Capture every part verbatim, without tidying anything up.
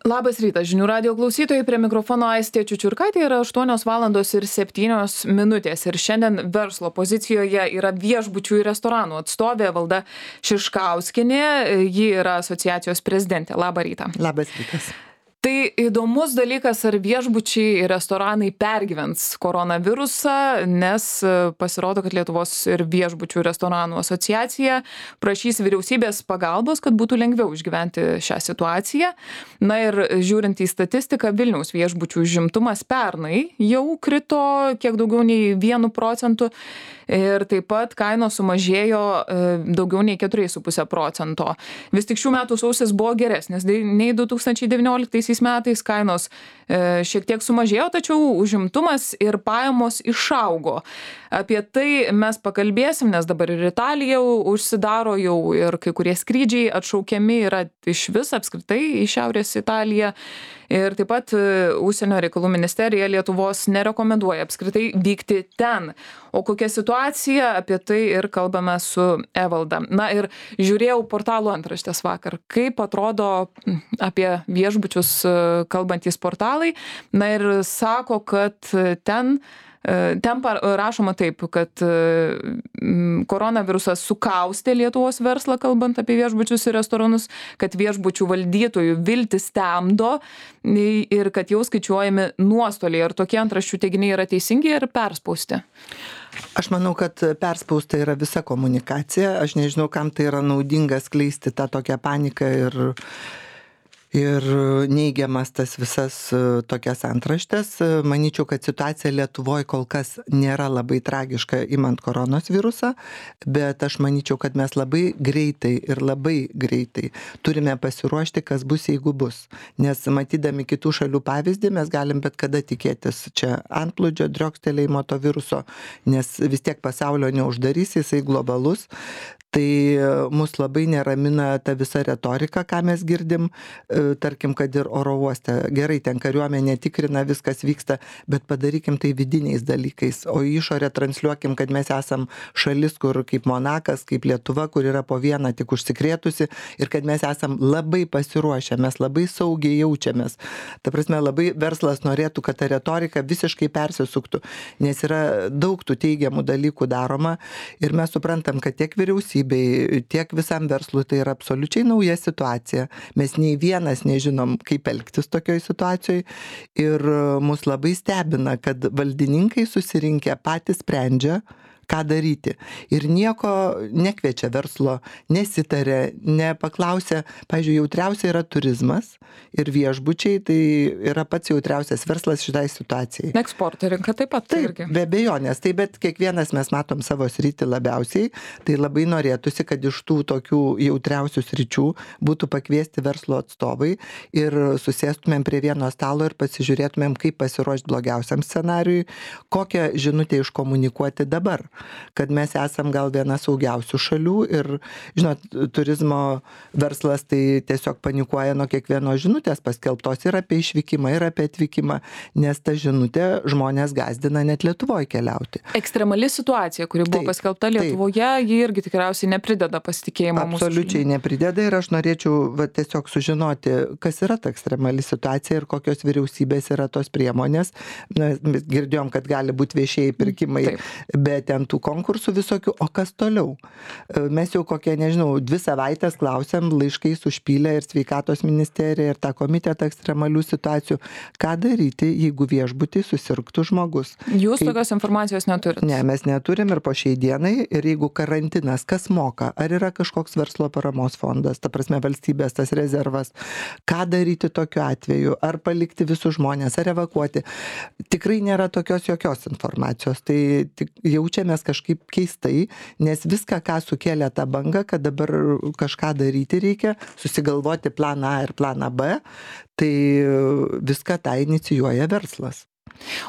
Labas rytas, žinių radijo klausytojai, prie mikrofono Aistė Čiučiurkaitė, yra aštuonios valandos ir septynios minutės ir šiandien verslo pozicijoje yra viešbučių ir restoranų atstovė Valda Šiškauskienė, ji yra asociacijos prezidentė. Labą rytą. Labas rytas. Tai įdomus dalykas, ar viešbučiai ir restoranai pergyvens koronavirusą, nes pasirodo, kad Lietuvos ir viešbučių ir restoranų asociacija prašys vyriausybės pagalbos, kad būtų lengviau išgyventi šią situaciją. Na ir žiūrint į statistiką, Vilniaus viešbučių užimtumas pernai jau krito kiek daugiau nei vienu procentu ir taip pat kainos sumažėjo daugiau nei keturiais su puse procento. Vis tik šių metų sausis buvo geresnis nei du tūkstančiai devynioliktaisiais metais, kainos šiek tiek sumažėjo, tačiau užimtumas ir pajamos išaugo. Apie tai mes pakalbėsim, nes dabar ir Italija užsidaro jau ir kai kurie skrydžiai atšaukiami yra iš vis apskritai į Šiaurės Italiją. Ir taip pat Užsienio reikalų ministerija Lietuvos nerekomenduoja apskritai vykti ten. O kokia situacija, apie tai ir kalbame su Evalda. Na ir žiūrėjau portalų antraštės vakar, kaip atrodo apie viešbučius kalbantys portalai. Na ir sako, kad ten Ten rašoma taip, kad koronavirusas sukaustė Lietuvos verslą, kalbant apie viešbučius ir restoranus, kad viešbučių valdytojų viltis temdo ir kad jau skaičiuojami nuostoliai. Ar tokie antraščių teiginiai yra teisingi ir perspausti? Aš manau, kad perspausta yra visa komunikacija. Aš nežinau, kam tai yra naudinga skleisti tą tokią paniką ir Ir neigiamas tas visas tokias antraštės. Manyčiau, kad situacija Lietuvoje kol kas nėra labai tragiška imant koronos virusą, bet aš manyčiau, kad mes labai greitai ir labai greitai turime pasiruošti, kas bus, jeigu bus. Nes matydami kitų šalių pavyzdį, mes galim bet kada tikėtis čia antplūdžio, driokstelėjimo to viruso, nes vis tiek pasaulio neuždarys, jisai globalus. Tai mus labai neramina ta visa retorika, ką mes girdim, tarkim, kad ir oro uoste. Gerai, ten kariuomenė tikrina, viskas vyksta, bet padarykim tai vidiniais dalykais, o į išorę transliuokim, kad mes esam šalis, kur kaip Monakas, kaip Lietuva, kur yra po vieną tik užsikrėtusi ir kad mes esam labai pasiruošę, mes labai saugiai jaučiamės. Ta prasme, labai verslas norėtų, kad ta retorika visiškai persisuktų, nes yra daug tų teigiamų dalykų daroma ir mes suprantam, kad tiek vyriausybė, tiek visam verslui tai yra absoliučiai nauja situacija. Mes nei vienas nežinom, kaip elgtis tokioj situacijoje ir mus labai stebina, kad valdininkai susirinkę patys sprendžia, ką daryti. Ir nieko nekviečia verslo, nesitarė, nepaklausė. Pavyzdžiui, jautriausia yra turizmas ir viešbučiai, tai yra pats jautriausias verslas šitai situacijai. Eksporto rinka taip pat. Taip, irgi. Be abejonės. Tai bet kiekvienas mes matom savo sritį labiausiai, tai labai norėtųsi, kad iš tų tokių jautriausių sričių būtų pakviesti verslo atstovai ir susėstumėm prie vieno stalo ir pasižiūrėtumėm, kaip pasiruošti blogiausiam scenariui, kokią žinutę iškomunikuoti dabar. Kad mes esam gal viena saugiausių šalių ir, žinot, turizmo verslas tai tiesiog panikuoja nuo kiekvieno žinutės paskelbtos ir apie išvykimą, ir apie atvykimą, nes ta žinutė žmonės gazdina net Lietuvoje keliauti. Ekstremali situacija, kuri buvo taip, paskelbta Lietuvoje, taip. Ji irgi tikriausiai neprideda pasitikėjimo mūsų. Absoliučiai neprideda ir aš norėčiau va, tiesiog sužinoti, kas yra ta ekstremali situacija ir kokios vyriausybės yra tos priemonės. Na, mes girdėjom, kad gali būti viešieji pirkimai, taip. Bet ten tų konkursų visokių, o kas toliau? Mes jau kokie, nežinau, dvi savaitės klausėm, laiškais užpylė ir sveikatos ministerija, ir tą komitetą ekstremalių situacijų. Ką daryti, jeigu viešbutį susirgtų žmogus? Jūs Kaip... tokios informacijos neturite? Ne, mes neturim ir po šiai dienai, ir jeigu karantinas, kas moka? Ar yra kažkoks verslo paramos fondas, ta prasme valstybės tas rezervas? Ką daryti tokiu atveju? Ar palikti visus žmonės, ar evakuoti? Tikrai nėra tokios jokios informacijos. Tai tik jaučiame mes kažkaip keistai, nes viską, ką sukėlė tą bangą, kad dabar kažką daryti reikia, susigalvoti planą A ir planą B, tai viską tą inicijuoja verslas.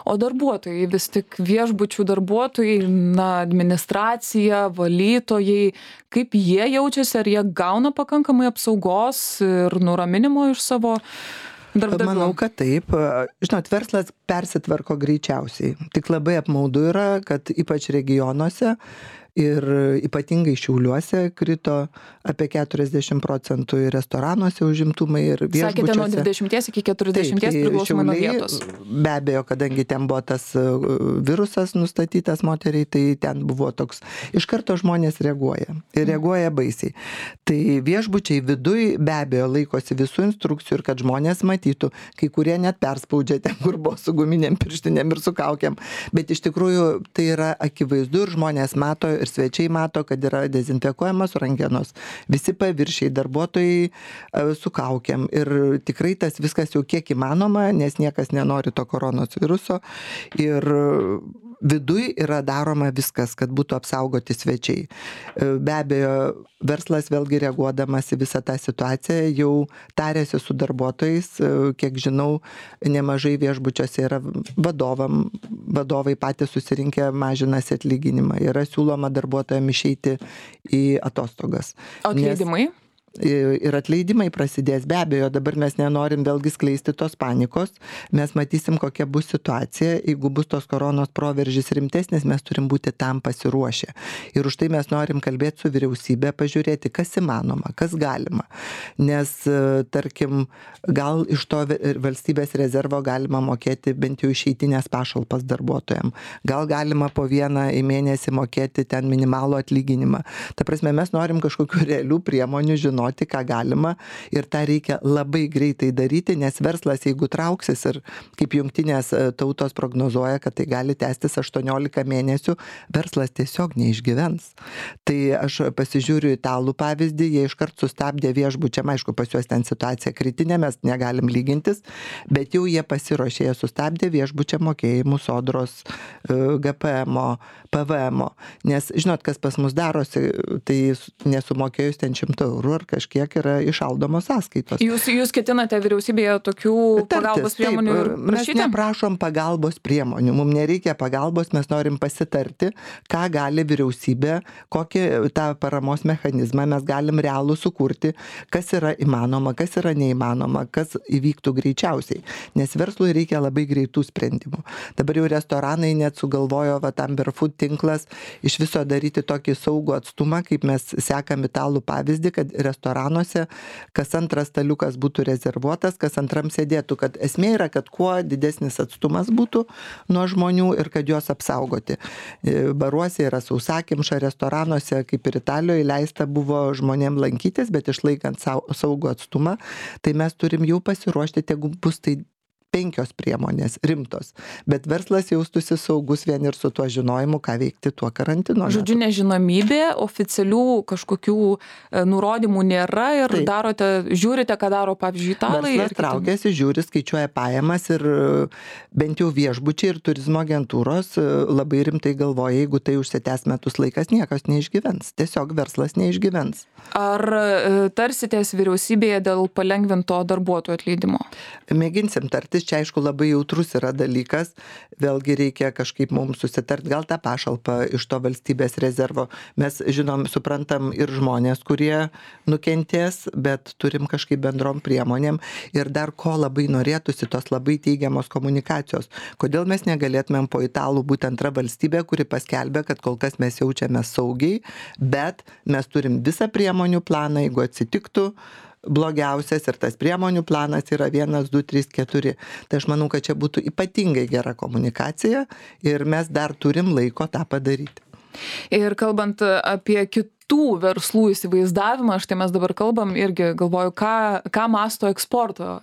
O darbuotojai, vis tik viešbučių darbuotojai, na, administracija, valytojai, kaip jie jaučiasi, ar jie gauna pakankamai apsaugos ir nuraminimo iš savo darbdavių? Manau, kad taip. Žinot, verslas persitvarko greičiausiai. Tik labai apmaudu yra, kad ypač regionuose Ir ypatingai Šiauliuose krito apie keturiasdešimt procentų ir restoranuose užimtumai ir viešbučiuose. Sakėte nuo dvidešimties iki keturiasdešimties priklausomai nuo vietos. Be abejo, kadangi ten buvo tas virusas nustatytas moteriai, tai ten buvo toks, iš karto žmonės reaguoja. Ir reaguoja baisiai. Tai viešbučiai viduj be abejo laikosi visų instrukcijų ir kad žmonės matytų, kai kurie net perspaudžia ten, kur buvo su guminėm pirštinėm ir su kaukiam. Bet iš tikrųjų tai yra akivaizdu ir žmonės mato ir svečiai mato, kad yra dezinfekuojamos rankenos. Visi paviršiai, darbuotojai su kaukiam. Ir tikrai tas viskas jau kiek įmanoma, nes niekas nenori to koronos viruso. Ir viduj yra daroma viskas, kad būtų apsaugoti svečiai. Be abejo, verslas vėlgi reaguodamas į visą tą situaciją jau tarėsi su darbuotojais. Kiek žinau, nemažai viešbučiuose yra vadovam, vadovai patys susirinkę mažinasi atlyginimą. Yra siūloma darbuotojams išeiti į atostogas. Atleidimai? Nes ir atleidimai prasidės. Be abejo, dabar mes nenorim vėlgi skleisti tos panikos. Mes matysim, kokia bus situacija. Jeigu bus tos koronos proveržis rimtesnis, mes turim būti tam pasiruošę. Ir už tai mes norim kalbėti su vyriausybė, pažiūrėti, kas įmanoma, kas galima. Nes, tarkim, gal iš to valstybės rezervo galima mokėti bent jau išeitinės pašalpas darbuotojams. Gal galima po vieną į mėnesį mokėti ten minimalų atlyginimą. Ta prasme, mes norim kažkokių realių priemonių žinoti, ką galima ir tą reikia labai greitai daryti, nes verslas, jeigu trauksis ir kaip jungtinės tautos prognozuoja, kad tai gali tęstis aštuoniolika mėnesių, verslas tiesiog neišgyvens. Tai aš pasižiūriu italų pavyzdį, jie iškart sustabdė viešbučiam, aišku, pas juos ten situacija kritinė, mes negalim lygintis, bet jau jie pasiruošė, jie sustabdė viešbučiam mokėjimų sodros, G P M O, P V M O, nes žinot, kas pas mus darosi, tai nesumokėjus ten šimto eurų ar kažkiek yra išaldomos sąskaitos. Jūs, jūs ketinate vyriausybėje tokių Tartis, pagalbos priemonių ir prašyti? Mes neprašom pagalbos priemonių, mums nereikia pagalbos, mes norim pasitarti, ką gali vyriausybė, kokį tą paramos mechanizmą mes galim realų sukurti, kas yra įmanoma, kas yra neįmanoma, kas įvyktų greičiausiai, nes verslui reikia labai greitų sprendimų. Dabar jau restoranai net sugalvojo, va, Amber Food tinklas iš viso daryti tokį saugų atstumą, kaip mes sekam italų pavyzdį, kad restoranuose kas antras staliukas būtų rezervuotas, kas antram sėdėtų, kad esmė yra, kad kuo didesnis atstumas būtų nuo žmonių ir kad juos apsaugoti. Baruose yra sausakimša, restoranuose, kaip ir Italijoje, leista buvo žmonėm lankytis, bet išlaikant saugų atstumą, tai mes turim jau pasiruošti, jeigu bus tai penkios priemonės rimtos, bet verslas jaustųsi saugus vien ir su tuo žinojimu, ką veikti tuo karantino. Žodžiu, nežinomybė, oficialių kažkokių nurodymų nėra ir Taip. darote, žiūrite, ką daro, pavyzdžiui, italai. Verslas traukiasi, žiūri, skaičiuoja pajamas ir bent jau viešbučiai ir turizmo agentūros labai rimtai galvoja, jeigu tai užsitęs metus laikas, niekas neišgyvens. Tiesiog verslas neišgyvens. Ar tarsitės vyriausybėje dėl palengvinto darbuotojų atleidimo? Mėginsim tartis. Čia aišku labai jautrus yra dalykas, vėlgi reikia kažkaip mums susitart, gal tą pašalpą iš to valstybės rezervo. Mes žinom, suprantam ir žmonės, kurie nukentės, bet turim kažkaip bendrom priemonėm ir dar ko labai norėtųsi, tos labai teigiamos komunikacijos. Kodėl mes negalėtumėm po italų būti antra valstybė, kuri paskelbė, kad kol kas mes jaučiame saugiai, bet mes turim visą priemonių planą, jeigu atsitiktų blogiausias ir tas priemonių planas yra vienas, du, trys, keturi. Tai aš manau, kad čia būtų ypatingai gera komunikacija ir mes dar turim laiko tą padaryti. Ir kalbant apie kitų verslų įsivaizdavimą, štai mes dabar kalbam irgi galvoju, ką, ką masto eksporto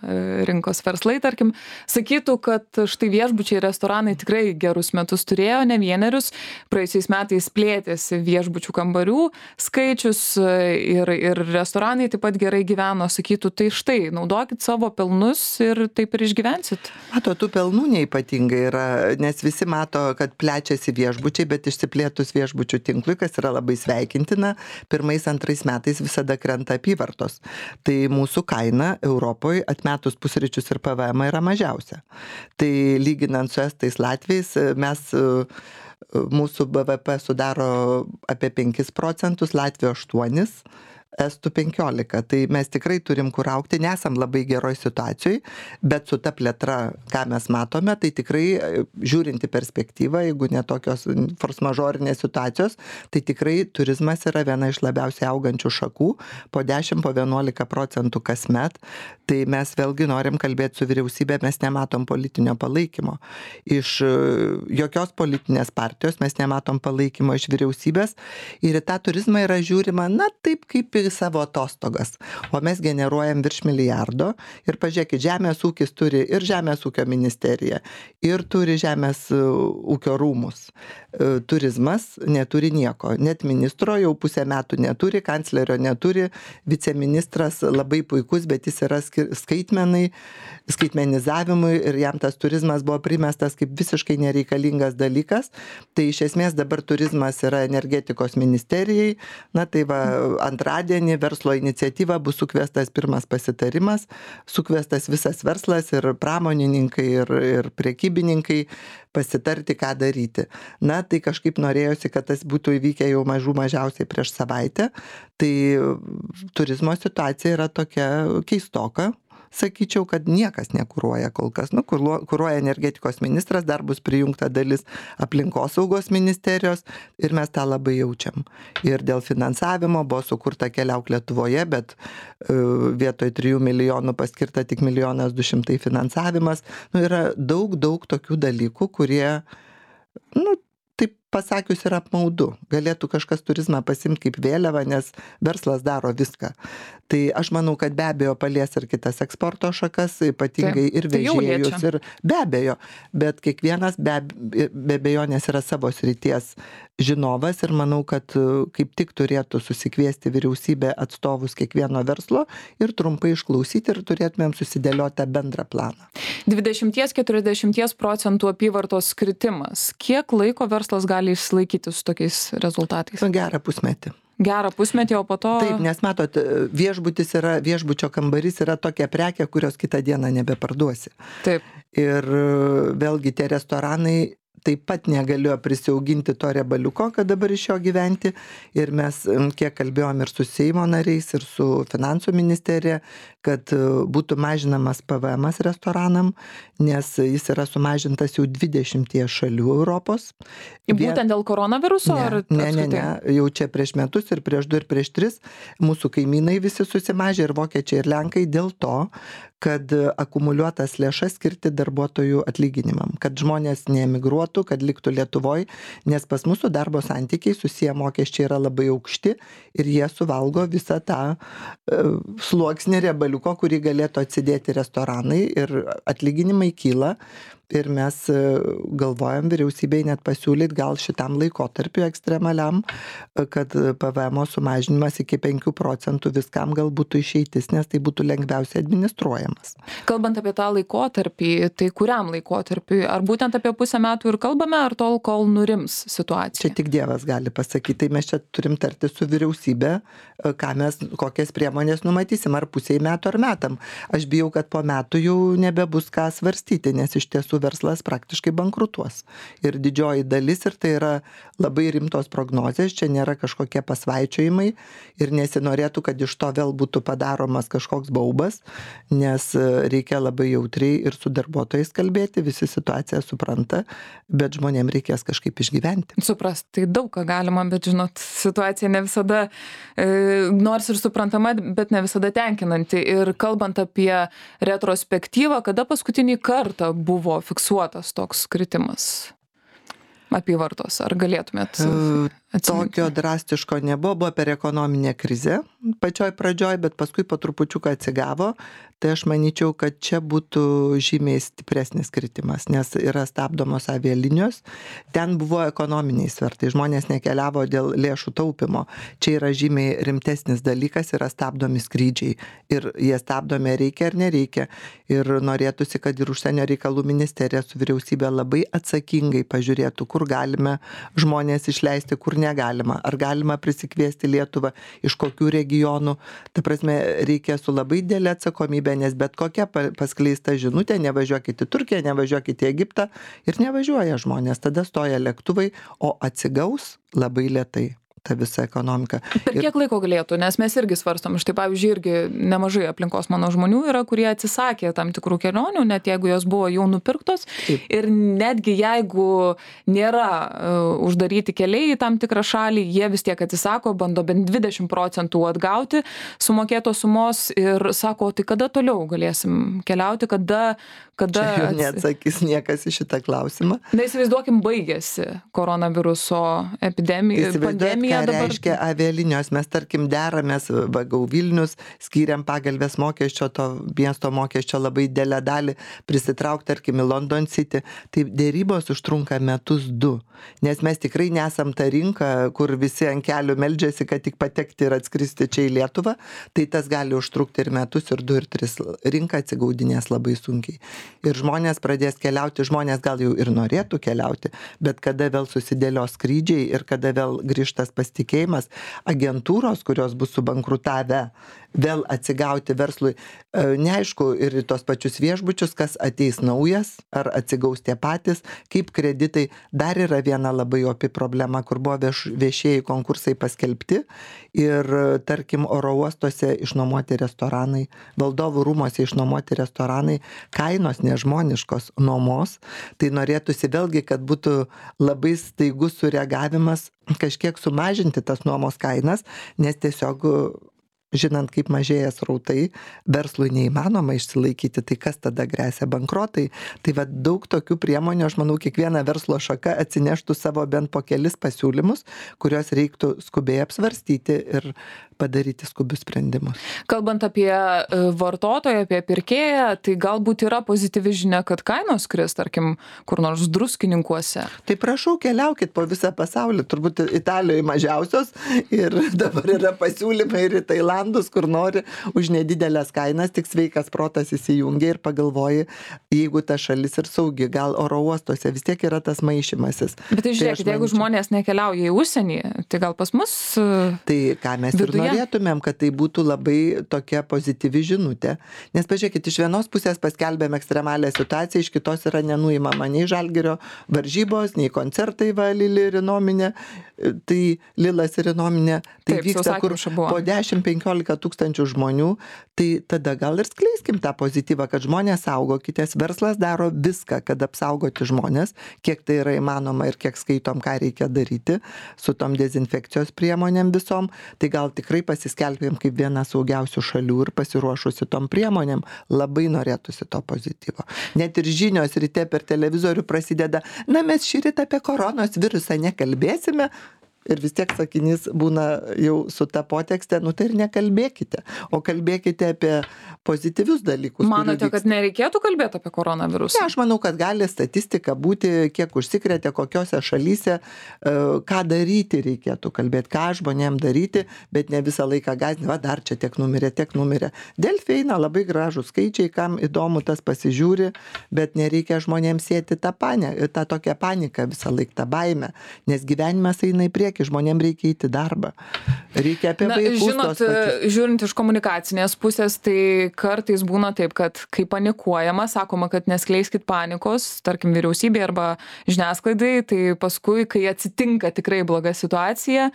rinkos verslai, tarkim, sakytų, kad štai viešbučiai, restoranai tikrai gerus metus turėjo, ne vienerius, praėjusiais metais plėtėsi viešbučių kambarių skaičius ir, ir restoranai taip pat gerai gyveno, sakytų, tai štai, naudokit savo pelnus ir taip ir išgyvensit. Mato, tų pelnų neipatingai yra, nes visi mato, kad plečiasi viešbučiai, bet išsiplėtus viešbučių tinklui, kas yra labai sveikintina, pirmais, antrais metais visada krenta apyvartos. Tai mūsų kaina Europoje atmetus pusryčius ir P V M yra mažiausia. Tai lyginant su estais Latviais, mes, mūsų B V P sudaro apie penkis procentus, Latvijos aštuonis, estų penkiolika. Tai mes tikrai turim kur augti, nesam labai geroj situacijoj, bet su ta plėtra, ką mes matome, tai tikrai žiūrinti perspektyvą, jeigu ne tokios force majorinės situacijos, tai tikrai turizmas yra viena iš labiausiai augančių šakų, po dešimt, po vienuolika procentų kasmet. Tai mes vėlgi norim kalbėti su vyriausybė, mes nematom politinio palaikymo. Iš jokios politinės partijos mes nematom palaikymo iš vyriausybės ir į tą turizmą yra žiūrima, na taip kaip į savo atostogas. O mes generuojam virš milijardo ir pažiūrėkit, žemės ūkis turi ir žemės ūkio ministerija, ir turi žemės ūkio rūmus. Turizmas neturi nieko, net ministro jau pusę metų neturi, kanclerio neturi, viceministras labai puikus, bet jis yra skaitmenai, skaitmenizavimui ir jam tas turizmas buvo primestas kaip visiškai nereikalingas dalykas. Tai iš esmės dabar turizmas yra energetikos ministerijai, na tai va antradienį verslo iniciatyva bus sukviestas pirmas pasitarimas, sukviestas visas verslas ir pramonininkai ir, ir prekybininkai pasitarti, ką daryti. Na, tai kažkaip norėjosi, kad tas būtų įvykę jau mažų mažiausiai prieš savaitę. Tai turizmo situacija yra tokia keistoka. Sakyčiau, kad niekas nekuruoja kol kas. Nu, kuruoja energetikos ministras, dar bus prijungta dalis aplinkosaugos ministerijos ir mes tą labai jaučiam. Ir dėl finansavimo buvo sukurta Keliauk Lietuvoje, bet uh, vietoj trijų milijonų paskirta tik milijonas du šimtai finansavimas. Nu, yra daug, daug tokių dalykų, kurie, nu, taip pasakius, yra apmaudu. Galėtų kažkas turizmą pasimti kaip vėliavą, nes verslas daro viską. Tai aš manau, kad be abejo palies ir kitas eksporto šakas, ypatingai ir vežėjus. Ir be abejo, bet kiekvienas be, be abejonės yra savo srities žinovas ir manau, kad kaip tik turėtų susikviesti vyriausybė atstovus kiekvieno verslo ir trumpai išklausyti ir turėtumėm susidėlioti bendrą planą. dvidešimt iki keturiasdešimt procentų apyvartos kritimas. Kiek laiko verslas gali išsilaikyti su tokiais rezultatais? Gerą pusmetį. Gerą pusmetį, o po to... Taip, nes matot, viešbutis yra, viešbučio kambarys yra tokia prekė, kurios kitą dieną nebeparduosi. Taip. Ir vėlgi tie restoranai taip pat negalėjo prisiauginti to riebaliuko, kad dabar iš jo gyventi. Ir mes kiek kalbėjom ir su Seimo nariais, ir su Finansų ministerija, kad būtų mažinamas P V M-as restoranam, nes jis yra sumažintas jau dvidešimtyje šalių Europos. Būtent dėl koronaviruso? Ne, ar ne, ne, ne, jau čia prieš metus ir prieš du ir prieš tris mūsų kaimynai visi susimažė ir vokiečiai ir lenkai dėl to, kad akumuliuotas lėšas skirti darbuotojų atlyginimam, kad žmonės neemigruotų, kad liktų Lietuvoj, nes pas mūsų darbo santykiai susiję mokesčiai yra labai aukšti ir jie suvalgo visą tą uh, sluoksnį riebaliuko, kurį galėtų atsidėti restoranai ir atlyginimai kyla. Ir mes galvojam vyriausybei net pasiūlyti gal šitam laikotarpiu ekstremaliam, kad P V M-o sumažinimas iki penkių procentų viskam gal būtų išeitis, nes tai būtų lengviausiai administruojamas. Kalbant apie tą laikotarpį, tai kuriam laikotarpiui? Ar būtent apie pusę metų ir kalbame, ar tol, kol nurims situacija? Čia tik Dievas gali pasakyti. Tai mes čia turim tarti su vyriausybė, ką mes, kokias priemonės numatysim, ar pusiai metų, ar metam. Aš bijau, kad po metų jau nebebus ką svarstyti, nes iš tiesų verslas praktiškai bankrutuos. Ir didžioji dalis, ir tai yra labai rimtos prognozės, čia nėra kažkokie pasvaičiojimai ir nesinorėtų, kad iš to vėl būtų padaromas kažkoks baubas, nes reikia labai jautriai ir su darbuotojais kalbėti, visi situaciją supranta, bet žmonėm reikės kažkaip išgyventi. Suprast, tai daug ką galima, bet žinot, situacija ne visada, e, nors ir suprantama, bet ne visada tenkinanti. Ir kalbant apie retrospektyvą, kada paskutinį kartą buvo fiksuotas toks kritimas apyvartos? Ar galėtumėt atsiminti? Tokio drastiško nebuvo, buvo per ekonominę krizę pačioj pradžioj, bet paskui po trupučiuką atsigavo. Tai aš manyčiau, kad čia būtų žymiai stipresnis kritimas, nes yra stabdomos avialinijos. Ten buvo ekonominiai svertai, žmonės nekeliavo dėl lėšų taupimo. Čia yra žymiai rimtesnis dalykas, yra stabdomi skrydžiai. Ir jie stabdomi reikia ar nereikia. Ir norėtųsi, kad ir užsienio reikalų ministerija su vyriausybė labai atsakingai pažiūrėtų, kur galime žmonės išleisti, kur negalima. Ar galima prisikviesti Lietuvą, iš kokių regionų. Ta prasme, reikia su labai didelė atsakomybė, nes bet kokia paskleista žinutė, nevažiuokit į Turkiją, nevažiuokit į Egiptą ir nevažiuoja žmonės. Tada stoja lėktuvai, o atsigaus labai lėtai. ta visa ekonomika. Per kiek laiko galėtų, nes mes irgi svarstom, štai pavyzdžiui, irgi nemažai aplinkos mano žmonių yra, kurie atsisakė tam tikrų kelionių, net jeigu jos buvo jau nupirktos. Taip. Ir netgi jeigu nėra uh, uždaryti keliai į tam tikrą šalį, jie vis tiek atsisako, bando bent dvidešimt procentų atgauti sumokėtos sumos ir sako, tai kada toliau galėsim keliauti, kada... kada Čia jau neatsakys niekas į šitą klausimą. Na, įsivaizduokim, baigėsi koronaviruso epidemija, pandemija dabar. Reiškia avialinijos, mes tarkim deramės, vagau Vilnius, skiriam pagalbės mokesčio, to miesto mokesčio labai didelę dalį prisitraukti, tarkim, į London City. Tai dėrybos užtrunka metus du, nes mes tikrai nesam ta rinka, kur visi ant kelių meldžiasi, kad tik patekti ir atskristi čia į Lietuvą. Tai tas gali užtrukti ir metus, ir du, ir tris. Rinka atsigaudinės labai sunkiai. Ir žmonės pradės keliauti, žmonės gal jau ir norėtų keliauti, bet kada vėl susidėlios skrydžiai ir kada vėl grįžtas pasitikėjimas, agentūros, kurios bus subankrutavę, vėl atsigauti verslui, neaišku, ir tos pačius viešbučius, kas ateis naujas, ar atsigaus tie patys, kaip kreditai. Dar yra viena labai opi problema, kur buvo vieš, viešieji konkursai paskelbti ir, tarkim, oro uostuose išnuomoti restoranai, valdovų rūmose išnuomoti restoranai, kainos nežmoniškos nuomos, tai norėtųsi vėlgi, kad būtų labai staigus sureagavimas kažkiek sumažinti tas nuomos kainas, nes tiesiog žinant, kaip mažėja srautai, verslui neįmanoma išsilaikyti, tai kas tada gresia bankrotai. Tai va daug tokių priemonių, aš manau, kiekviena verslo šaka atsineštų savo bent po kelis pasiūlymus, kuriuos reiktų skubiai apsvarstyti ir padaryti skubius sprendimus. Kalbant apie vartotoją, apie pirkėją, tai galbūt yra pozityvi žinia, kad kainos kris, tarkim, kur nors druskininkuose. Tai prašau, keliaukit po visą pasaulį, turbūt Italijoje mažiausios ir dabar yra pasiūlymai ir į Tailandus, kur nori už nedidelės kainas, tik sveikas protas įsijungia ir pagalvoji, jeigu ta šalis ir saugi, gal oro uostuose vis tiek yra tas maišymasis. Bet tai žiūrėkit, tai jeigu manyčiau, žmonės nekeliauja į užsienį, tai gal pas mus tai ką mes viduje? Ir norėtumėm, kad tai būtų labai tokia pozityvi žinutė. Nes pažiūrėkit, iš vienos pusės paskelbėm ekstremalią situaciją, iš kitos yra nenuimama nei Žalgirio varžybos, nei koncertai va Lili ir Inominė. Tai Lilas ir Inominė, tai taip, vyksta kur po dešimt penkiolika tūkstančių žmonių. Tai tada gal ir skleiskim tą pozityvą, kad žmonės saugokitės, verslas daro viską, kad apsaugoti žmonės, kiek tai yra įmanoma ir kiek skaitom, ką reikia daryti su tom dezinfekcijos priemonėm visom. Tai gal tikrai pasiskelbėm kaip viena saugiausių šalių ir pasiruošusi tom priemonėm, labai norėtųsi to pozityvo. Net ir žinios ryte per televizorių prasideda, na mes šįryt apie koronos virusą nekalbėsime. Ir vis tiek sakinys būna jau su ta potekste, nu tai ir nekalbėkite, o kalbėkite apie pozityvius dalykus. Manote, kad nereikėtų kalbėti apie koronavirusą? Ne, aš manau, kad gali statistika būti, kiek užsikrėtė, kokiose šalyse, ką daryti reikėtų kalbėti, ką žmonėm daryti, bet ne visą laiką gąsdinti, va dar čia tiek numirė, tiek numirė. Delfi eina labai gražų skaičiai, kam įdomu tas pasižiūri, bet nereikia žmonėms sėti tą, panę, tą tokią paniką visą laiką, tą baimę, nes gyvenimas eina į priekį. Žmonėms reikia įti darbą. Reikia apie Na, vaikus. Žinot, žiūrint iš komunikacinės pusės, tai kartais būna taip, kad kai panikuojama, sakoma, kad neskleiskit panikos, tarkim, vyriausybė arba žiniasklaidai, tai paskui, kai atsitinka tikrai bloga situacija,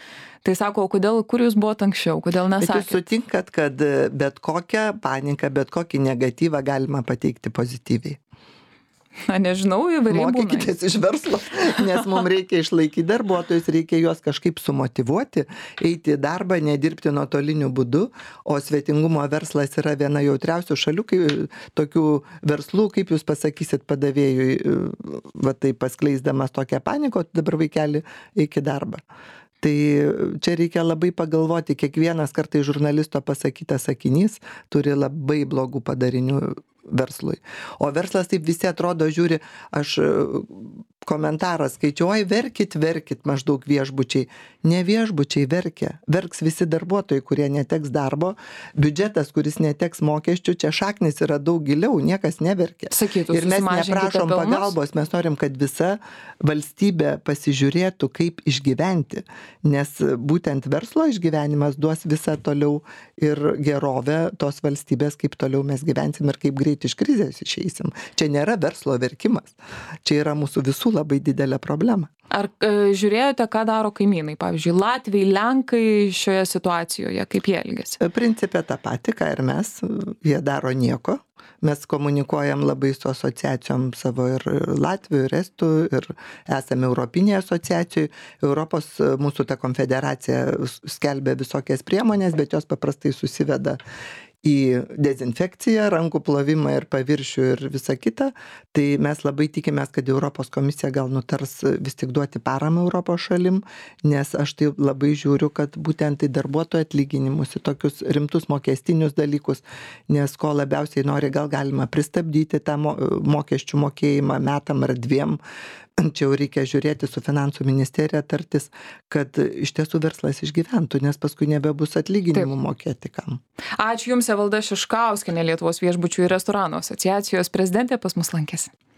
tai sako, kodėl, kur jūs buvote anksčiau, kodėl nesakėt? Bet jūs sutinkat, kad bet kokią paniką, bet kokį negatyvą galima pateikti pozityviai. Na, nežinau, įvairiai būna. Mokykitės iš verslo, nes mums reikia išlaikyti darbuotojus, reikia juos kažkaip sumotyvuoti, eiti į darbą, nedirbti nuotoliniu būdu, o svetingumo verslas yra viena jautriausių šalių, kai, tokių verslų, kaip jūs pasakysit padavėjui, va tai paskleisdamas tokią paniką, dabar vaikeli eik į darbą. Tai čia reikia labai pagalvoti, kiekvienas kartai žurnalisto pasakytas sakinys turi labai blogų padarinių verslui. O verslas taip visi atrodo, žiūri, aš komentarą skaičiau, oi, verkit, verkit maždaug viešbučiai. Ne viešbučiai verkia, verks visi darbuotojai, kurie neteks darbo, biudžetas, kuris neteks mokesčių, čia šaknis yra daug giliau, niekas neverkia. Sakytų, ir mes neprašom pagalbos, mes norim, kad visa valstybė pasižiūrėtų, kaip išgyventi, nes būtent verslo išgyvenimas duos visą toliau ir gerovę tos valstybės, kaip toliau mes gyvensim ir kaip greit iš krizės išeisim. Čia nėra verslo verkimas, čia yra mūsų visų labai didelė problema. Ar e, žiūrėjote, ką daro kaimynai? Pavyzdžiui, Latviai, Lenkai šioje situacijoje, kaip jie elgiasi? Principė tą patį, ką ir mes, jie daro nieko. Mes komunikuojam labai su asociacijom savo ir Latvių, ir Estų, ir esame Europinėje asociacijoje. Europos mūsų ta konfederacija skelbia visokias priemonės, bet jos paprastai susiveda į dezinfekciją, rankų plovimą ir paviršių ir visą kitą. Tai mes labai tikimės, kad Europos komisija gal nutars vis tik duoti paramą Europos šalim, nes aš tai labai žiūriu, kad būtent į darbuotojų atlyginimus, į tokius rimtus mokestinius dalykus, nes ko labiausiai nori, gal galima pristabdyti tą mokesčių mokėjimą metam ar dviem. Čia jau reikia žiūrėti su finansų ministerija, tartis, kad iš tiesų verslas išgyventų, nes paskui nebebus atlyginimų Taip. Mokėti kam. Ačiū Jums, Evalda Šiškauskienė, Lietuvos viešbučių ir restoranų asociacijos prezidentė, pas mus lankėsi.